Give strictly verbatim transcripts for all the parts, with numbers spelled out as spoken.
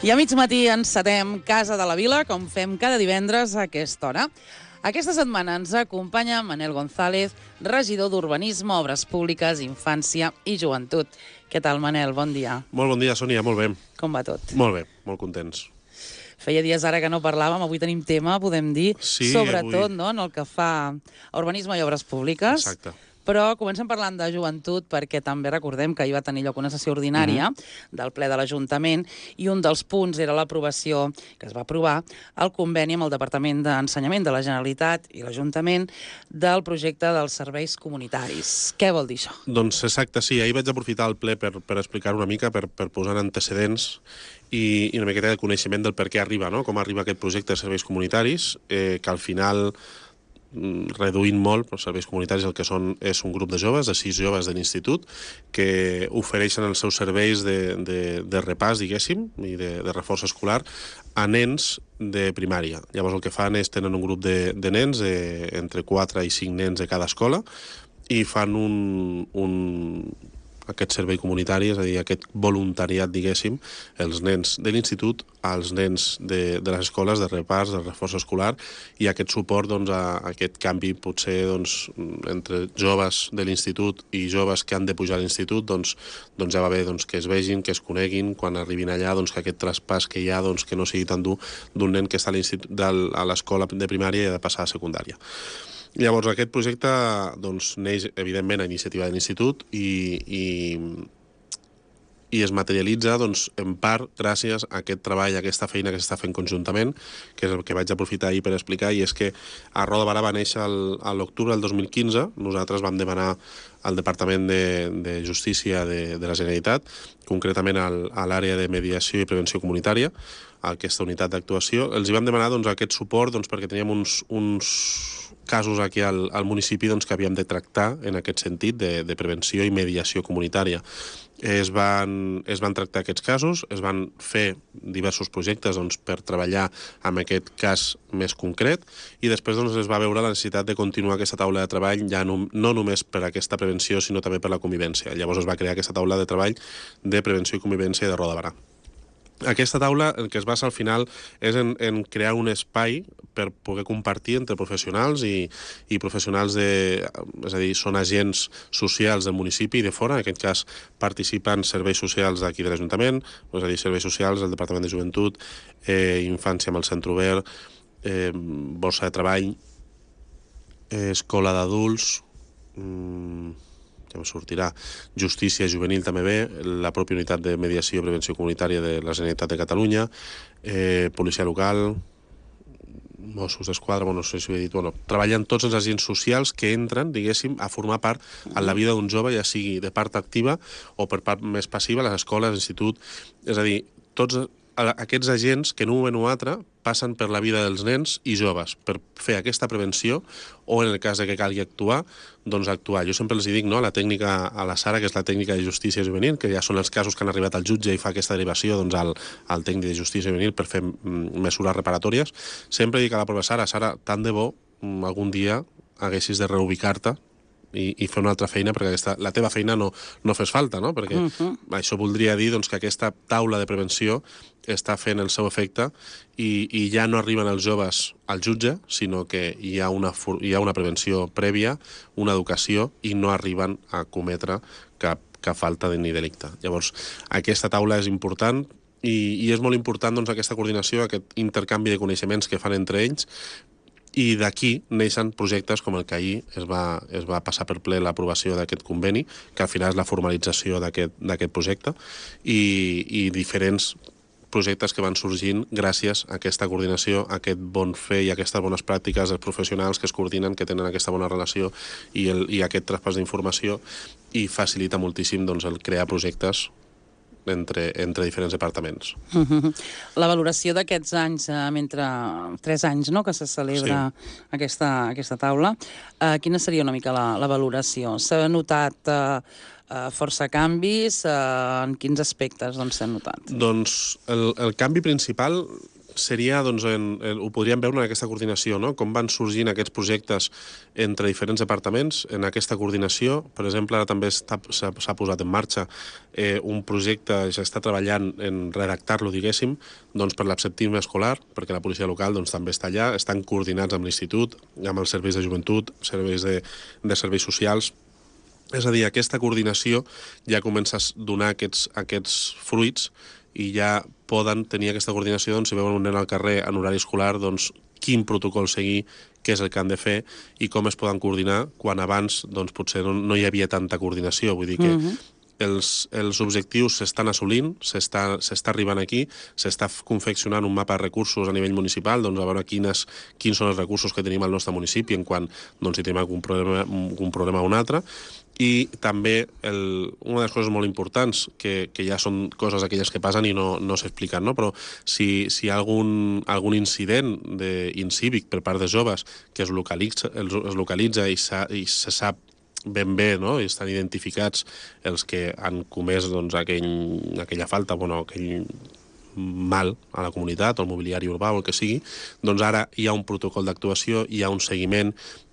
I a mig matí encetem Casa de la Vila, com fem cada divendres a aquesta hora. Aquesta setmana ens acompanya Manel González, regidor d'Urbanisme, Obres Públiques, Infància i Joventut. Què tal, Manel? Bon dia. Molt bon dia, Sònia, molt bé. Com va tot? Molt bé, molt contents. Feia dies ara que no parlàvem, avui tenim tema, podem dir, sí, sobretot avui... no, en el que fa a Urbanisme i Obres Públiques. Exacte. Però comencem parlant de joventut perquè també recordem que hi va tenir lloc una sessió ordinària mm-hmm. del ple de l'Ajuntament i un dels punts era l'aprovació, que es va aprovar, el conveni amb el Departament d'Ensenyament de la Generalitat i l'Ajuntament del projecte dels serveis comunitaris. Què vol dir això? Doncs exacte, sí. Ahir vaig aprofitar el ple per, per explicar una mica, per, per posar antecedents i, i una miqueta de coneixement del per què arriba, no? Com arriba aquest projecte de serveis comunitaris, eh, que al final... reduint molt, els serveis comunitaris el que són és un grup de joves, de sis joves de l'institut, que ofereixen els seus serveis de, de, de repàs, diguéssim, i de, de reforç escolar a nens de primària. Llavors el que fan és tenen un grup de, de nens, eh, entre quatre i cinc nens de cada escola, i fan un... un aquest servei comunitari, és a dir, aquest voluntariat, diguéssim, els nens de l'institut als nens de, de les escoles de repàs, de reforç escolar, i aquest suport doncs, a, a aquest canvi potser doncs, entre joves de l'institut i joves que han de pujar a l'institut, doncs, doncs ja va bé doncs, que es vegin, que es coneguin, quan arribin allà, doncs, que aquest traspàs que hi ha doncs, que no sigui tan dur d'un nen que està a, a l'escola de primària i ha de passar a secundària. Llavors, aquest projecte doncs, neix, evidentment, a iniciativa de l'Institut i, i, i es materialitza, doncs, en part, gràcies a aquest treball, a aquesta feina que s'està fent conjuntament, que és el que vaig aprofitar ahir per explicar, i és que a Roda de Barà va néixer el, a l'octubre del dos mil quinze. Nosaltres vam demanar al Departament de, de Justícia de, de la Generalitat, concretament al, a l'àrea de mediació i prevenció comunitària, a aquesta unitat d'actuació. Els hi vam demanar doncs, aquest suport doncs, perquè teníem uns... uns casos aquí al, al municipi doncs, que havíem de tractar en aquest sentit de, de prevenció i mediació comunitària. Es van, es van tractar aquests casos, es van fer diversos projectes doncs, per treballar amb aquest cas més concret i després doncs, es va veure la necessitat de continuar aquesta taula de treball ja no, no només per aquesta prevenció sinó també per la convivència. Llavors es va crear aquesta taula de treball de prevenció i convivència de Roda de Barà. Aquesta taula, el que es basa al final és en, en crear un espai per poder compartir entre professionals i, i professionals de... És a dir, són agents socials del municipi i de fora. En aquest cas participen serveis socials d'aquí de l'Ajuntament, és a dir, serveis socials del Departament de Joventut, eh, Infància amb el Centre Obert, eh, Borsa de Treball, eh, Escola d'Adults... Mm, ja me sortirà, Justícia Juvenil també bé, la pròpia unitat de mediació i prevenció comunitària de la Generalitat de Catalunya, eh, policia local, Mossos d'Esquadra, bueno, no sé si ho he dit, bueno, treballen tots els agents socials que entren, diguéssim, a formar part en la vida d'un jove, ja sigui de part activa o per part més passiva, les escoles, l'institut, és a dir, tots aquests agents que en un moment o altre passen per la vida dels nens i joves per fer aquesta prevenció o en el cas de que calgui actuar, doncs actuar. Jo sempre els dic, no?, la tècnica a la Sara, que és la tècnica de justícia juvenil, que ja són els casos que han arribat al jutge i fa aquesta derivació doncs, al, al tècnic de justícia juvenil per fer mesures reparatòries. Sempre dic a la prova Sara, Sara, tant de bo algun dia haguessis de reubicar-te I, i fer una altra feina, perquè aquesta, la teva feina no, no fes falta, no? Perquè uh-huh. això voldria dir doncs, que aquesta taula de prevenció està fent el seu efecte i, i ja no arriben els joves al jutge, sinó que hi ha, una, hi ha una prevenció prèvia, una educació, i no arriben a cometre cap, cap falta ni delicte. Llavors, aquesta taula és important i, i és molt important doncs, aquesta coordinació, aquest intercanvi de coneixements que fan entre ells, i d'aquí neixen projectes com el que ahir es va, es va passar per ple l'aprovació d'aquest conveni, que al final és la formalització d'aquest projecte, i, i diferents projectes que van sorgint gràcies a aquesta coordinació, a aquest bon fer i a aquestes bones pràctiques dels professionals que es coordinen, que tenen aquesta bona relació i, el, i aquest traspàs d'informació, i facilita moltíssim doncs, el crear projectes Entre, entre diferents departaments. Uh-huh. La valoració d'aquests anys, eh, mentre tres anys no, que se celebra sí. aquesta, aquesta taula, eh, quina seria una mica la, la valoració? S'ha notat eh, eh, força canvis? Eh, en quins aspectes doncs, s'han notat? Doncs el, el canvi principal seria, doncs, en, en, ho podríem veure en aquesta coordinació, no? Com van sorgint aquests projectes entre diferents departaments, en aquesta coordinació. Per exemple, ara també s'ha posat en marxa eh, un projecte, ja està treballant en redactar-lo, diguéssim, doncs, per l'absentisme escolar, perquè la policia local doncs, també està allà, estan coordinats amb l'institut, amb els serveis de joventut, serveis de, de serveis socials. És a dir, aquesta coordinació ja comença a donar aquests, aquests fruits i ja poden tenir aquesta coordinació, doncs, si veuen un nen al carrer en horari escolar, doncs, quin protocol seguir, què és el que han de fer i com es poden coordinar, quan abans doncs, potser no, no hi havia tanta coordinació. Vull dir que uh-huh. els, els objectius s'estan assolint, s'està arribant aquí, s'està confeccionant un mapa de recursos a nivell municipal, doncs, a veure quines, quins són els recursos que tenim al nostre municipi en quan doncs, si tenim algun problema, un problema o un altre. I també el, una de les coses molt importants, que, que ja són coses aquelles que passen i no, no s'expliquen, no? Però si, si hi ha algun, algun incident incívic per part de joves que es localitza, es localitza i, i se sap ben bé, no? I estan identificats els que han comès doncs, aquell, aquella falta, bueno, aquell mal a la comunitat, o el mobiliari urbà o el que sigui, doncs ara hi ha un protocol d'actuació, hi ha un seguiment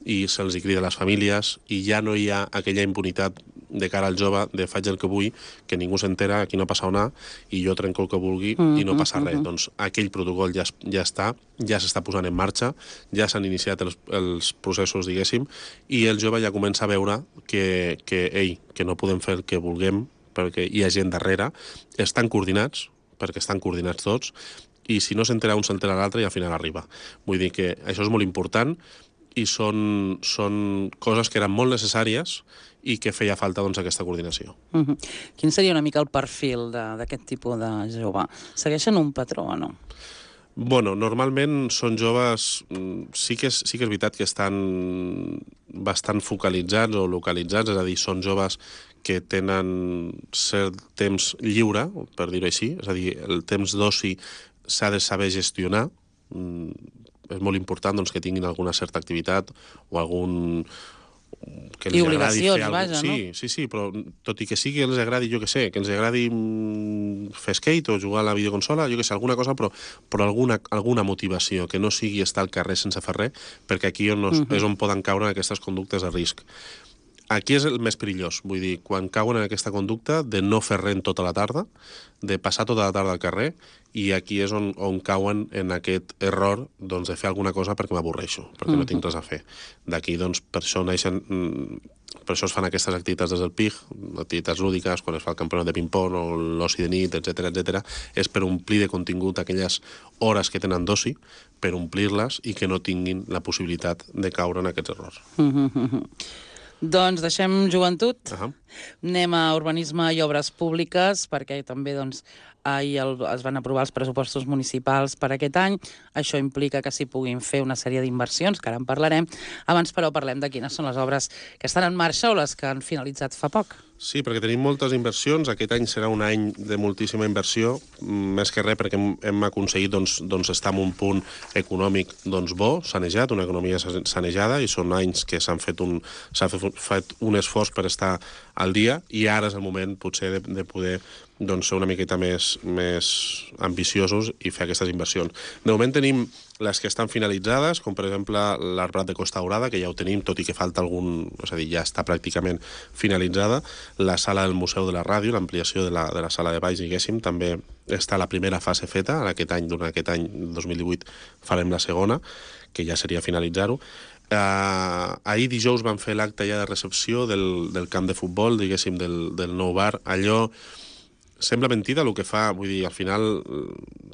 i se'ls crida a les famílies i ja no hi ha aquella impunitat de cara al jove de faig el que vull, que ningú s'entera, aquí no passa una, i jo trenco el que vulgui mm, i no passa mm, res. Mm. Doncs aquell protocol ja, ja està, ja s'està posant en marxa, ja s'han iniciat els, els processos, diguéssim, i el jove ja comença a veure que, que, ei, que no podem fer el que vulguem perquè hi ha gent darrere, estan coordinats, perquè estan coordinats tots, i si no s'entera un, s'entera l'altre i al final arriba. Vull dir que això és molt important i són, són coses que eren molt necessàries i que feia falta doncs, aquesta coordinació. Uh-huh. Quin seria una mica el perfil d'aquest tipus de jove? Segueixen un patró o no? Bueno, normalment són joves, sí que és, sí que és veritat que estan bastant focalitzats o localitzats, és a dir, són joves que tenen cert temps lliure, per dir-ho així, és a dir, el temps d'oci s'ha de saber gestionar. Mm, és molt important doncs, que tinguin alguna certa activitat o algun... que els I agradi obligacions, fer alguna... vaja, sí, no? Sí, sí, però tot i que sigui que els agradi, jo què sé, que els agradi fer skate o jugar a la videoconsola, jo què sé, alguna cosa, però, però alguna, alguna motivació, que no sigui estar al carrer sense fer res, perquè aquí on no, uh-huh. és on poden caure aquestes conductes de risc. Aquí és el més perillós, vull dir, quan cauen en aquesta conducta de no fer res tota la tarda, de passar tota la tarda al carrer, i aquí és on, on cauen en aquest error doncs, de fer alguna cosa perquè m'avorreixo, perquè uh-huh. no tinc res a fer. D'aquí, doncs, per això neixen, per això es fan aquestes activitats des del P I G, activitats lúdiques, quan es fa el campionat de ping-pong o l'oci de nit, etcètera, etcètera, és per omplir de contingut aquelles hores que tenen d'oci, per omplir-les i que no tinguin la possibilitat de caure en aquests errors. Uh-huh. Doncs deixem joventut, uh-huh. anem a urbanisme i obres públiques, perquè també doncs, ahir el, es van aprovar els pressupostos municipals per aquest any. Això implica que s'hi puguin fer una sèrie d'inversions, que ara en parlarem. Abans, però, parlem de quines són les obres que estan en marxa o les que han finalitzat fa poc. Sí, perquè tenim moltes inversions. Aquest any serà un any de moltíssima inversió, més que res perquè hem, hem aconseguit doncs, doncs estar en un punt econòmic doncs, bo, sanejat, una economia sanejada, i són anys que s'han fet un, s'ha fet un esforç per estar al dia, i ara és el moment potser de, de poder doncs, ser una miqueta més, més ambiciosos i fer aquestes inversions. De moment tenim les que estan finalitzades, com per exemple l'Arbrat de Costa Daurada, que ja ho tenim, tot i que falta algun... És a dir, ja està pràcticament finalitzada. La sala del Museu de la Ràdio, l'ampliació de, la, de la sala de baix, diguéssim, també està la primera fase feta. En aquest any, durant aquest any, dos mil divuit, farem la segona, que ja seria finalitzar-ho. Uh, ahir dijous vam fer l'acte ja de recepció del, del camp de futbol, diguéssim, del, del nou bar. Allò sembla mentida el que fa, vull dir, al final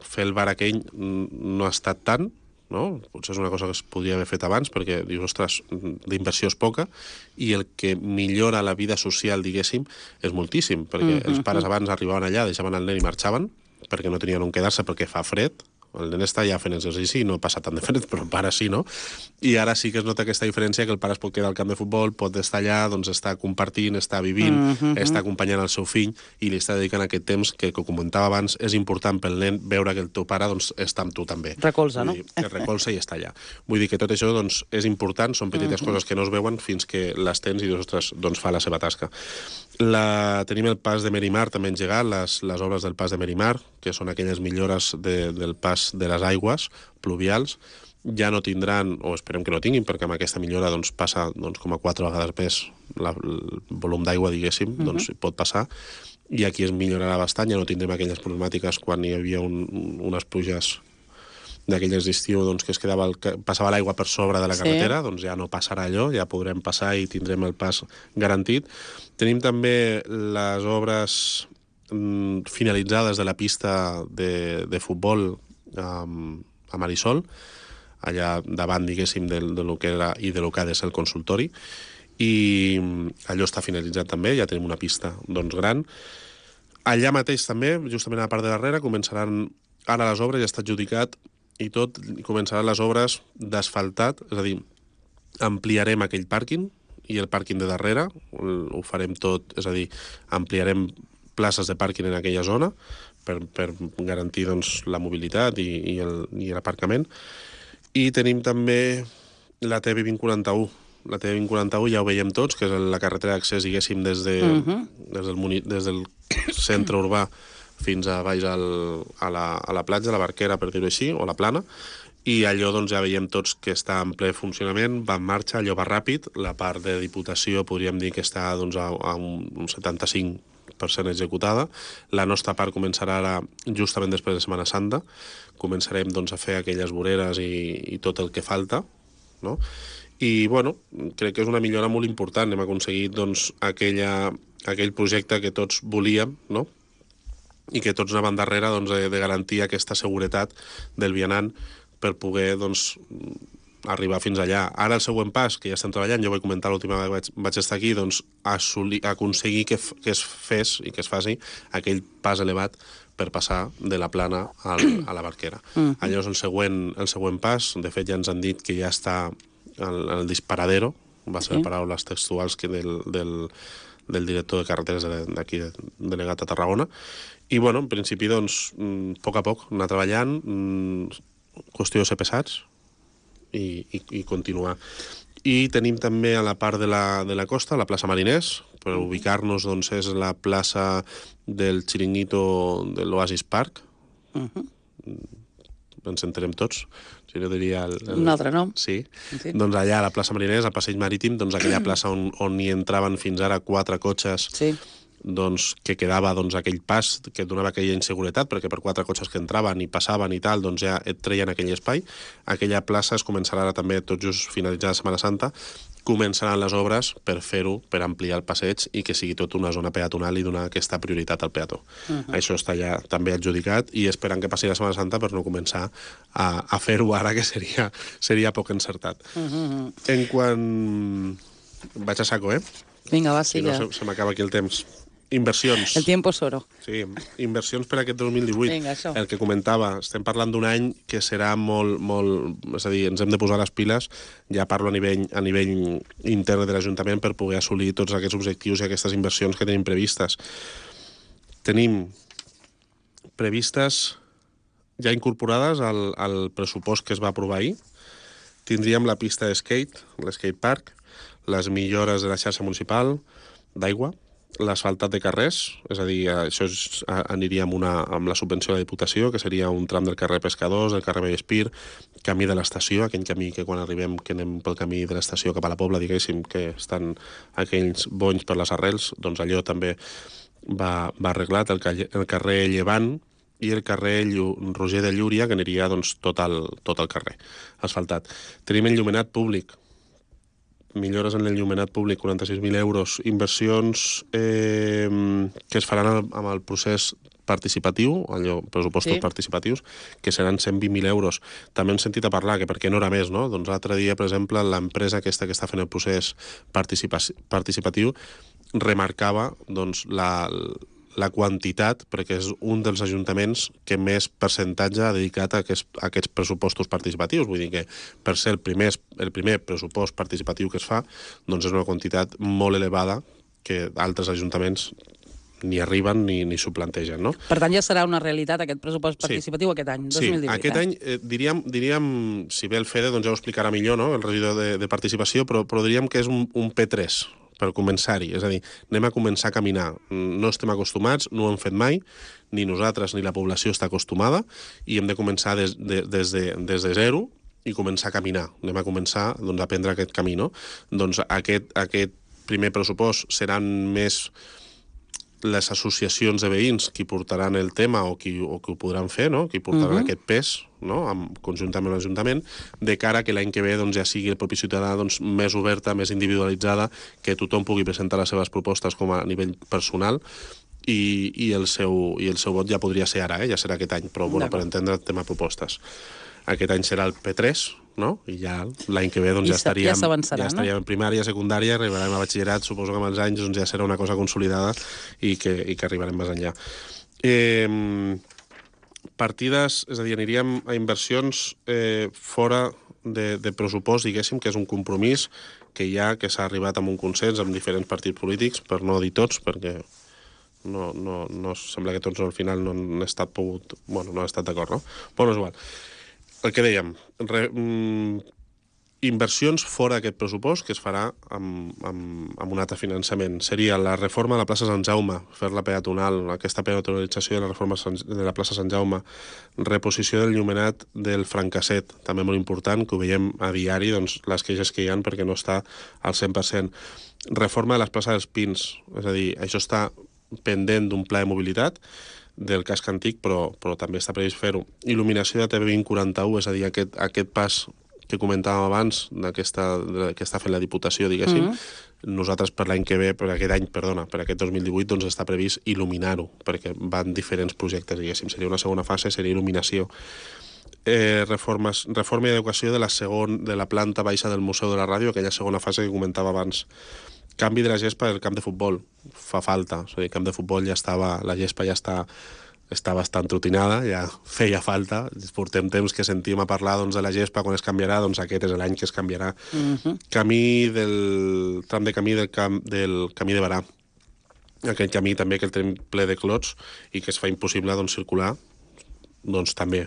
fer el bar aquell no ha estat tant, no? Potser és una cosa que es podria haver fet abans, perquè dius, ostres, d'inversió és poca, i el que millora la vida social, diguéssim, és moltíssim, perquè mm-hmm. els pares abans arribaven allà, deixaven el nen i marxaven, perquè no tenien on quedar-se perquè fa fred. El nen està ja fent exercici i no passa tant de fred, però el pare sí, no? I ara sí que es nota aquesta diferència, que el pare es pot quedar al camp de futbol, pot estar allà, doncs està compartint, està vivint, mm-hmm. està acompanyant el seu fill i li està dedicant aquest temps que, com comentava abans, és important pel nen veure que el teu pare doncs, està amb tu també. Recolza, no? Vull dir, que recolza i està allà. Vull dir que tot això doncs, és important, són petites mm-hmm. coses que no es veuen fins que les tens i dius, ostres, doncs fa la seva tasca. La... Tenim el pas de Merimar també engegat, les, les obres del pas de Merimar, que són aquelles millores de, del pas les, de les aigües pluvials, ja no tindran, o esperem que no tinguin, perquè amb aquesta millora doncs, passa doncs, com a quatre vegades més la, el volum d'aigua, diguéssim, uh-huh. doncs pot passar, i aquí es millorarà bastant, ja no tindrem aquelles problemàtiques quan hi havia un, unes pluges d'aquelles d'estiu doncs, que es quedava el, passava l'aigua per sobre de la carretera, sí. doncs ja no passarà allò, ja podrem passar i tindrem el pas garantit. Tenim també les obres mm, finalitzades de la pista de, de futbol um, a Marisol, allà davant, diguéssim, de, de lo que era i de lo que ha de ser el consultori, i allò està finalitzat també, ja tenim una pista doncs, gran. Allà mateix també, justament a la part de darrere, començaran ara les obres, ja està adjudicat, i tot, començaran les obres d'asfaltat, és a dir, ampliarem aquell pàrquing, i el pàrquing de darrere, ho farem tot, és a dir, ampliarem places de pàrquing en aquella zona, per, per garantir doncs, la mobilitat i, i l'aparcament. I tenim també la T V vint quaranta-u. La T V vint quaranta-u ja ho veiem tots, que és la carretera d'accés, diguéssim, des, de, uh-huh. des, del, des del centre urbà fins a baix al, a, la, a la platja, a la Barquera, per dir-ho així, o la Plana, i allò doncs, ja veiem tots que està en ple funcionament, va en marxa, allò va ràpid, la part de Diputació podríem dir que està doncs, a, a un setanta-cinc per cent executada. La nostra part començarà ara, justament després de Setmana Santa. Començarem doncs, a fer aquelles voreres i, i tot el que falta, no? I, bueno, crec que és una millora molt important. Hem aconseguit doncs, aquella, aquell projecte que tots volíem, no? I que tots anaven darrere doncs, de, de garantir aquesta seguretat del vianant per poder doncs, arribar fins allà. Ara el següent pas, que ja estem treballant, jo vaig comentar l'última vegada que vaig, vaig estar aquí, doncs assolir, aconseguir que, que es fes i que es faci aquell pas elevat per passar de la Plana al, a la Barquera. Uh-huh. Allò és el següent, el següent pas. De fet, ja ens han dit que ja està el, el disparadero, va ser sí. paraules textuals que del, del, del director de carreteres d'aquí, delegat a Tarragona. I, bueno, en principi, doncs, a poc a poc, anar treballant, qüestió de ser pesats, I, i, i continuar. I tenim també a la part de la, de la costa, la plaça Mariners, per ubicar-nos, doncs, és la plaça del xiringuito de l'Oasis Park. Uh-huh. Ens entenem tots. Si no diria el, el... Un altre nom. Sí. sí. Doncs allà, a la plaça Mariners, al passeig marítim, doncs aquella plaça on, on hi entraven fins ara quatre cotxes, sí. doncs, que quedava doncs, aquell pas que donava aquella inseguretat, perquè per quatre cotxes que entraven i passaven i tal, doncs ja et treien aquell espai. Aquella plaça es començarà ara també, tot just finalitzada la Setmana Santa, començaran les obres per fer-ho, per ampliar el passeig i que sigui tot una zona peatonal i donar aquesta prioritat al peató. Uh-huh. Això està ja també adjudicat i esperant que passi la Setmana Santa per no començar a, a fer-ho ara, que seria, seria poc encertat. Uh-huh. En quan... Vaig a saco, eh? Vinga, va, sí, si no, se, se m'acaba aquí el temps. Inversions. El tiempo es oro. Sí, inversions per aquest dos mil divuit. Vinga, això. El que comentava, estem parlant d'un any que serà molt, molt... És a dir, ens hem de posar les piles, ja parlo a nivell, a nivell intern de l'Ajuntament, per poder assolir tots aquests objectius i aquestes inversions que tenim previstes. Tenim previstes ja incorporades al, al pressupost que es va aprovar ahir. Tindríem la pista de skate, l'skate park, les millores de la xarxa municipal d'aigua, l'asfaltat de carrers, és a dir, això és, aniria amb, una, amb la subvenció de la Diputació, que seria un tram del carrer Pescadors, del carrer Vallespir, camí de l'estació, aquell camí que quan arribem, que anem pel camí de l'estació cap a la Pobla, diguéssim, que estan aquells bonys per les arrels, doncs allò també va, va arreglat, el, el carrer Llevant i el carrer Llu, Roger de Llúria, que aniria doncs, tot, el, tot el carrer asfaltat. Tenim enllumenat públic, millores en l'enllumenat públic, quaranta-sis mil euros, inversions eh, que es faran amb el procés participatiu, allò, pressupostos sí. participatius, que seran cent vint mil euros. També hem sentit a parlar que per què no era més, no? Doncs l'altre dia, per exemple, l'empresa aquesta que està fent el procés participa participatiu remarcava doncs, la, la quantitat, perquè és un dels ajuntaments que més percentatge ha dedicat a aquests, a aquests pressupostos participatius. Vull dir que per ser el primer, el primer pressupost participatiu que es fa, doncs és una quantitat molt elevada que altres ajuntaments ni arriben ni, ni s'ho plantegen, no? Per tant, ja serà una realitat aquest pressupost participatiu sí. aquest any, dos mil divuit. Sí, aquest eh? any, eh, diríem, diríem, si ve el Fede, doncs ja ho explicarà millor, no?, el regidor de, de participació, però, però diríem que és un, un P tres, per començar-hi. És a dir, anem a començar a caminar. No estem acostumats, no ho hem fet mai, ni nosaltres ni la població està acostumada, i hem de començar des de, des de, des de zero i començar a caminar. Anem a començar doncs, a prendre aquest camí, no? Doncs aquest, aquest primer pressupost seran més les associacions de veïns qui portaran el tema o qui, o qui ho podran fer, no? Qui portaran uh-huh. aquest pes, no? Amb, conjuntament amb l'Ajuntament, de cara que l'any que ve doncs, ja sigui el propi ciutadà doncs, més oberta, més individualitzada, que tothom pugui presentar les seves propostes com a nivell personal, i, i, el, seu, i el seu vot ja podria ser ara, eh? Ja serà aquest any, però bueno, per entendre el tema propostes. Aquest any serà el P tres, no? I ja l'any que ve doncs, ja, estaríem, ja, ja estaríem no? en primària, secundària, arribarem a batxillerat, suposo que amb els anys doncs, ja serà una cosa consolidada i que, i que arribarem més enllà. Eh, partides, és a dir, aniríem a inversions eh, fora de, de pressupost, diguéssim, que és un compromís que hi ha, que s'ha arribat amb un consens amb diferents partits polítics, per no dir tots, perquè no, no, no sembla que tots al final no han estat pogut, bueno, no han estat d'acord, no? Però no és igual. El que dèiem, re, mm, inversions fora d'aquest pressupost que es farà amb, amb, amb un altre finançament. Seria la reforma de la plaça Sant Jaume, fer-la peatonal, aquesta peatonalització de la reforma de la plaça Sant Jaume, reposició del llumenat del Francasset, també molt important, que ho veiem a diari, doncs, les queixes que hi ha perquè no està al cent per cent. Reforma de les places dels Pins, és a dir, això està pendent d'un pla de mobilitat del casc antic, però, però també està previst fer-ho. Il·luminació de T V vint quaranta-u, és a dir, aquest, aquest pas que comentàvem abans, d'aquesta que està fent la Diputació, diguéssim, mm-hmm. nosaltres per l'any que ve, per aquest any, perdona, per aquest dos mil divuit, doncs està previst il·luminar-ho, perquè van diferents projectes, diguéssim. Seria una segona fase, seria il·luminació. Eh, reformes, reforma i adequació de la, segon, de la planta baixa del Museu de la Ràdio, aquella segona fase que comentava abans. Canvi de la gespa del camp de futbol. Fa falta. O sigui, el camp de futbol ja estava... La gespa ja està, està bastant trotinada, ja feia falta. Portem temps que sentim a parlar doncs, de la gespa, quan es canviarà, doncs aquest és l'any que es canviarà. Uh-huh. Camí del... Tram de camí del, camp, del camí de Barà. Aquest camí també que el tenim ple de clots i que es fa impossible doncs, circular, doncs també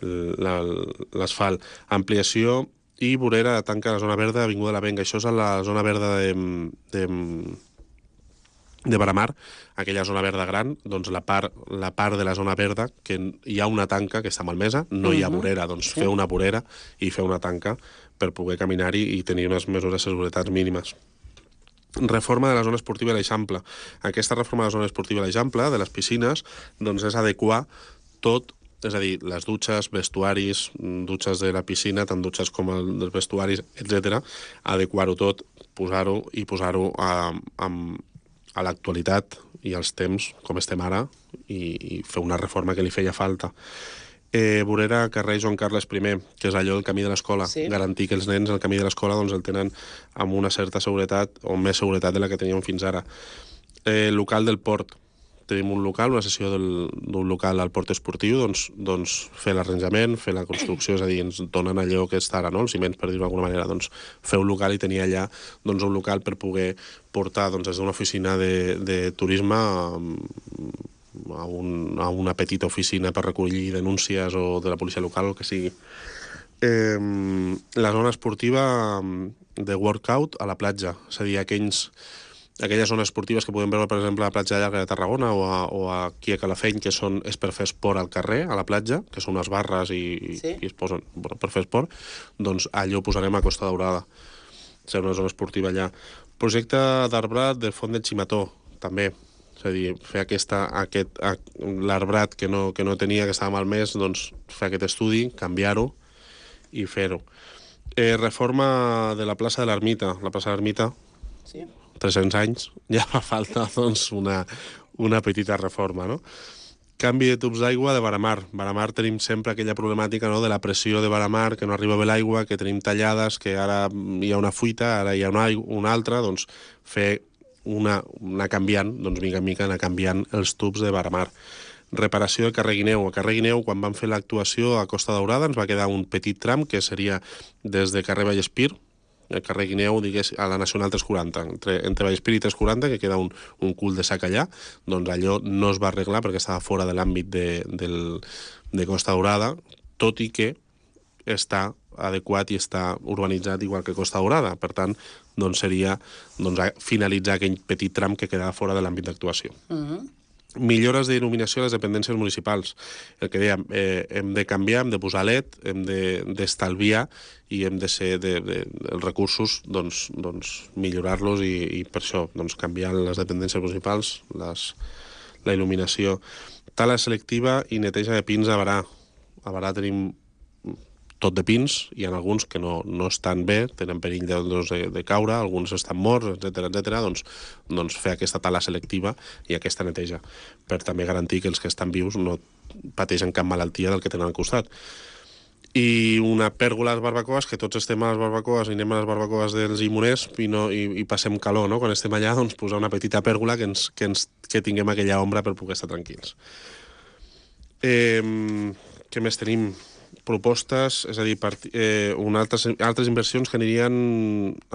l'asfalt. Ampliació i vorera de tanca la zona verda Avinguda de la Venga. Això és a la zona verda de, de, de Baramar, aquella zona verda gran, doncs la part, la part de la zona verda, que hi ha una tanca que està malmesa, no hi ha vorera, doncs fer una vorera i fer una tanca per poder caminar-hi i tenir unes mesures de seguretat mínimes. Reforma de la zona esportiva de l'Eixample. Aquesta reforma de la zona esportiva de l'Eixample, de les piscines, doncs és adequar tot, és a dir, les dutxes, vestuaris, dutxes de la piscina, tant dutxes com els vestuaris, etcètera, adequar-ho tot, posar-ho i posar-ho a, a, a l'actualitat i als temps, com estem ara, i, i fer una reforma que li feia falta. Eh, vorera carrer Joan Carles primer, que és allò del camí de l'escola, sí. Garantir que els nens el camí de l'escola doncs, el tenen amb una certa seguretat, o més seguretat de la que teníem fins ara. Eh, local del port. Tenim un local, una sessió d'un local al port esportiu, doncs, doncs fer l'arranjament, fer la construcció, és a dir, ens donen allò que està ara, no? Els ciments, per dir-ho d'alguna manera, doncs fer un local i tenir allà doncs, un local per poder portar doncs, des d'una oficina de, de turisme a, a, un, a una petita oficina per recollir denúncies o de la policia local, o que sigui. Eh, la zona esportiva de workout a la platja, és a dir, aquells... aquelles zones esportives que podem veure, per exemple, a la platja llarga de Tarragona o, a, o aquí a Calafell, que són, és per fer esport al carrer, a la platja, que són unes barres i, sí. i es posen bueno, per fer esport, doncs allò ho posarem a Costa Daurada. Serà una zona esportiva allà. Projecte d'arbrat del Font del Ximató, també. És a dir, fer aquesta, aquest, l'arbrat que no, que no tenia, que estava malmès, doncs fer aquest estudi, canviar-ho i fer-ho. Eh, reforma de la plaça de l'Ermita. La plaça de l'Ermita, sí. tres-cents anys, ja fa falta doncs, una, una petita reforma, no? Canvi de tubs d'aigua de Baramar. Baramar tenim sempre aquella problemàtica, no?, de la pressió de Baramar, que no arriba bé l'aigua, que tenim tallades, que ara hi ha una fuita, ara hi ha una, una altra, doncs fer una, una canviant, doncs mica en mica anar canviant els tubs de Baramar. Reparació del carrer Guineu. A carrer Guineu, quan vam fer l'actuació a Costa Daurada, ens va quedar un petit tram, que seria des de carrer Vallespir, el carrer Guineu, digués, a la Nacional tres quaranta, entre, entre Vallespir i tres quaranta, que queda un, un cul de sac allà, doncs allò no es va arreglar perquè estava fora de l'àmbit de, del, de Costa Daurada, tot i que està adequat i està urbanitzat igual que Costa Daurada. Per tant, doncs seria doncs, finalitzar aquell petit tram que quedava fora de l'àmbit d'actuació. Uh-huh. Millores d'il·luminació a les dependències municipals. El que dèiem, eh, hem de canviar, hem de posar L E D, hem d'estalviar de, i hem de ser de, de, els recursos, doncs, doncs millorar-los i, i per això doncs, canviar les dependències municipals, les, la il·luminació. Tala selectiva i neteja de pins a Barà. A Barà tenim tot de pins, hi ha alguns que no, no estan bé, tenen perill de, doncs, de, de caure, alguns estan morts, etcètera, etcètera, doncs, doncs fer aquesta tala selectiva i aquesta neteja, per també garantir que els que estan vius no pateixen cap malaltia del que tenen al costat. I una pèrgola a les barbacoes, que tots estem a les barbacoes i anem a les barbacoes dels imuners i, no, i, i passem calor, no? Quan estem allà, doncs posar una petita pèrgola que, ens, que, ens, que tinguem aquella ombra per poder estar tranquils. Eh, què més tenim? Propostes, és a dir, part, eh, una altres, altres inversions que anirien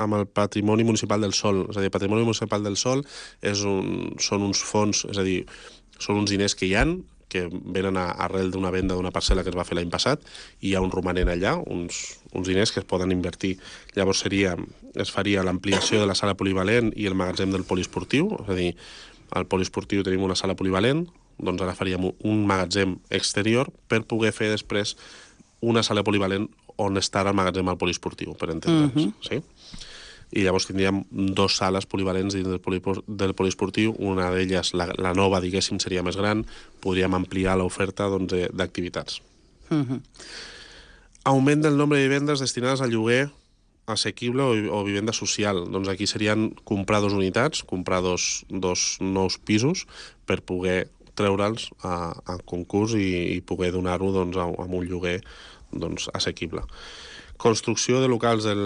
amb el Patrimoni Municipal del Sol. És a dir, el Patrimoni Municipal del Sol és un, són uns fons, és a dir, són uns diners que hi han, que venen a, arrel d'una venda d'una parcel·la que es va fer l'any passat, i hi ha un romanent allà, uns, uns diners que es poden invertir. Llavors seria, es faria l'ampliació de la sala polivalent i el magatzem del poliesportiu, és a dir, al poliesportiu tenim una sala polivalent, doncs ara faríem un magatzem exterior per poder fer després una sala polivalent on estarà el magatzem al poliesportiu, per entendre'ns. Uh-huh. Sí? I llavors tindríem dues sales polivalents dins del, polipor, del poliesportiu, una d'elles, la, la nova, diguéssim, seria més gran, podríem ampliar l'oferta doncs, d'activitats. Uh-huh. Augment del nombre de vivendes destinades a lloguer assequible o, o vivenda social. Doncs aquí serien comprar dos unitats, comprar dos, dos nous pisos per poder treure'ls a, a concurs i, i poder donar-ho doncs, a, a un lloguer doncs, assequible. Construcció de locals del,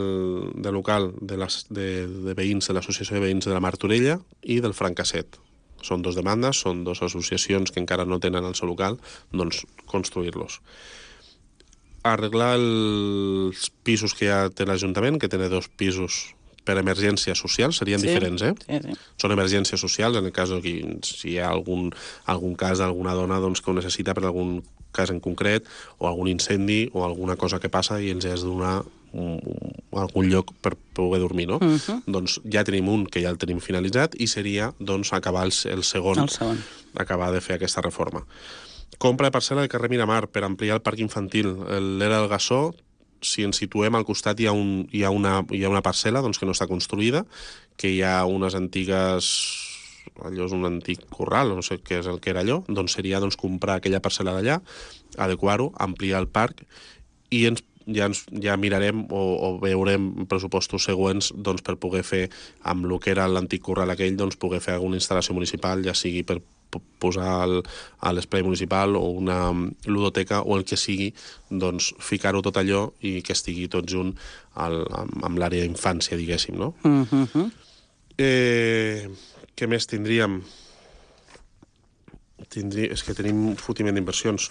de local de, les, de, de veïns de l'Associació de Veïns de la Martorella i del Francasset. Són dos demandes, són dues associacions que encara no tenen el seu local, doncs construir-los. Arreglar els pisos que ja té l'Ajuntament, que té dos pisos per emergències socials, serien sí, diferents, eh? Sí, sí. Són emergències socials, en el cas que si hi ha algun, algun cas d'alguna dona doncs, que ho necessita per algun cas en concret, o algun incendi, o alguna cosa que passa i ens has de donar un, un, algun lloc per poder dormir, no? Uh-huh. Doncs ja tenim un que ja el tenim finalitzat i seria doncs, acabar el, el, segon, el segon, acabar de fer aquesta reforma. Compra de parcel·la del carrer Miramar per ampliar el parc infantil. L'era del Gassó, si ens situem al costat hi ha, un, hi ha, una, hi ha una parcel·la doncs, que no està construïda, que hi ha unes antigues... allò és un antic corral, no sé què és el que era allò, doncs seria doncs, comprar aquella parcel·la d'allà, adequar-ho, ampliar el parc i ens, ja, ens, ja mirarem o, o veurem pressupostos següents doncs, per poder fer amb el que era l'antic corral aquell, doncs, poder fer alguna instal·lació municipal, ja sigui per posar el, a l'esplai municipal o una ludoteca o el que sigui, doncs ficar-ho tot allò i que estigui tot junt al, amb, amb l'àrea d'infància, diguéssim, no? Uh-huh. Eh, què més tindríem? Tindrí... És que tenim un fotiment d'inversions.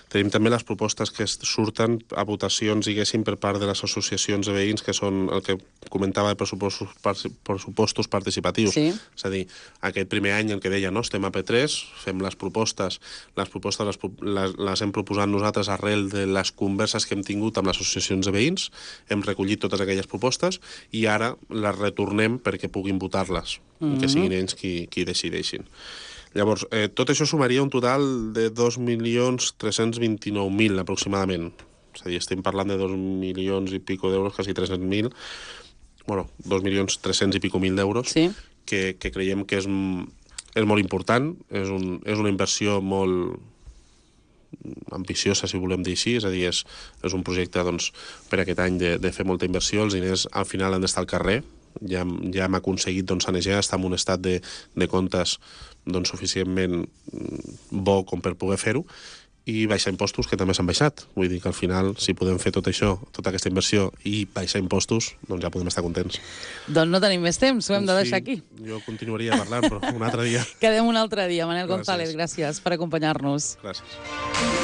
Tenim també les propostes que surten a votacions, diguéssim, per part de les associacions de veïns, que són el que comentava de pressupostos, pressupostos participatius. Sí. És a dir, aquest primer any el que deia, no? Estem a P tres, fem les propostes, les propostes les, les, les hem proposat nosaltres arrel de les converses que hem tingut amb les associacions de veïns, hem recollit totes aquelles propostes i ara les retornem perquè puguin votar-les, mm-hmm. que siguin ells qui, qui decideixin. Llavors, eh, tot això sumaria un total de dos milions tres-cents vint-i-nou mil aproximadament. És a dir, estem parlant de dos milions i pico d'euros, quasi tres-cents mil, bueno, dos milions tres-cents i pico mil d'euros, sí. que, que creiem que és, és molt important, és, un, és una inversió molt ambiciosa, si volem dir així, és a dir, és, és un projecte doncs, per aquest any de, de fer molta inversió, els diners al final han d'estar al carrer, ja, ja hem aconseguit doncs, sanejar, estar en un estat de, de comptes doncs, suficientment bo com per poder fer-ho, i baixar impostos, que també s'han baixat. Vull dir que al final, si podem fer tot això, tota aquesta inversió, i baixar impostos, doncs ja podem estar contents. Doncs no tenim més temps, ho hem de deixar sí, aquí. Jo continuaria parlant, però un altre dia. Quedem un altre dia. Manel Gràcies. González, gràcies per acompanyar-nos. Gràcies.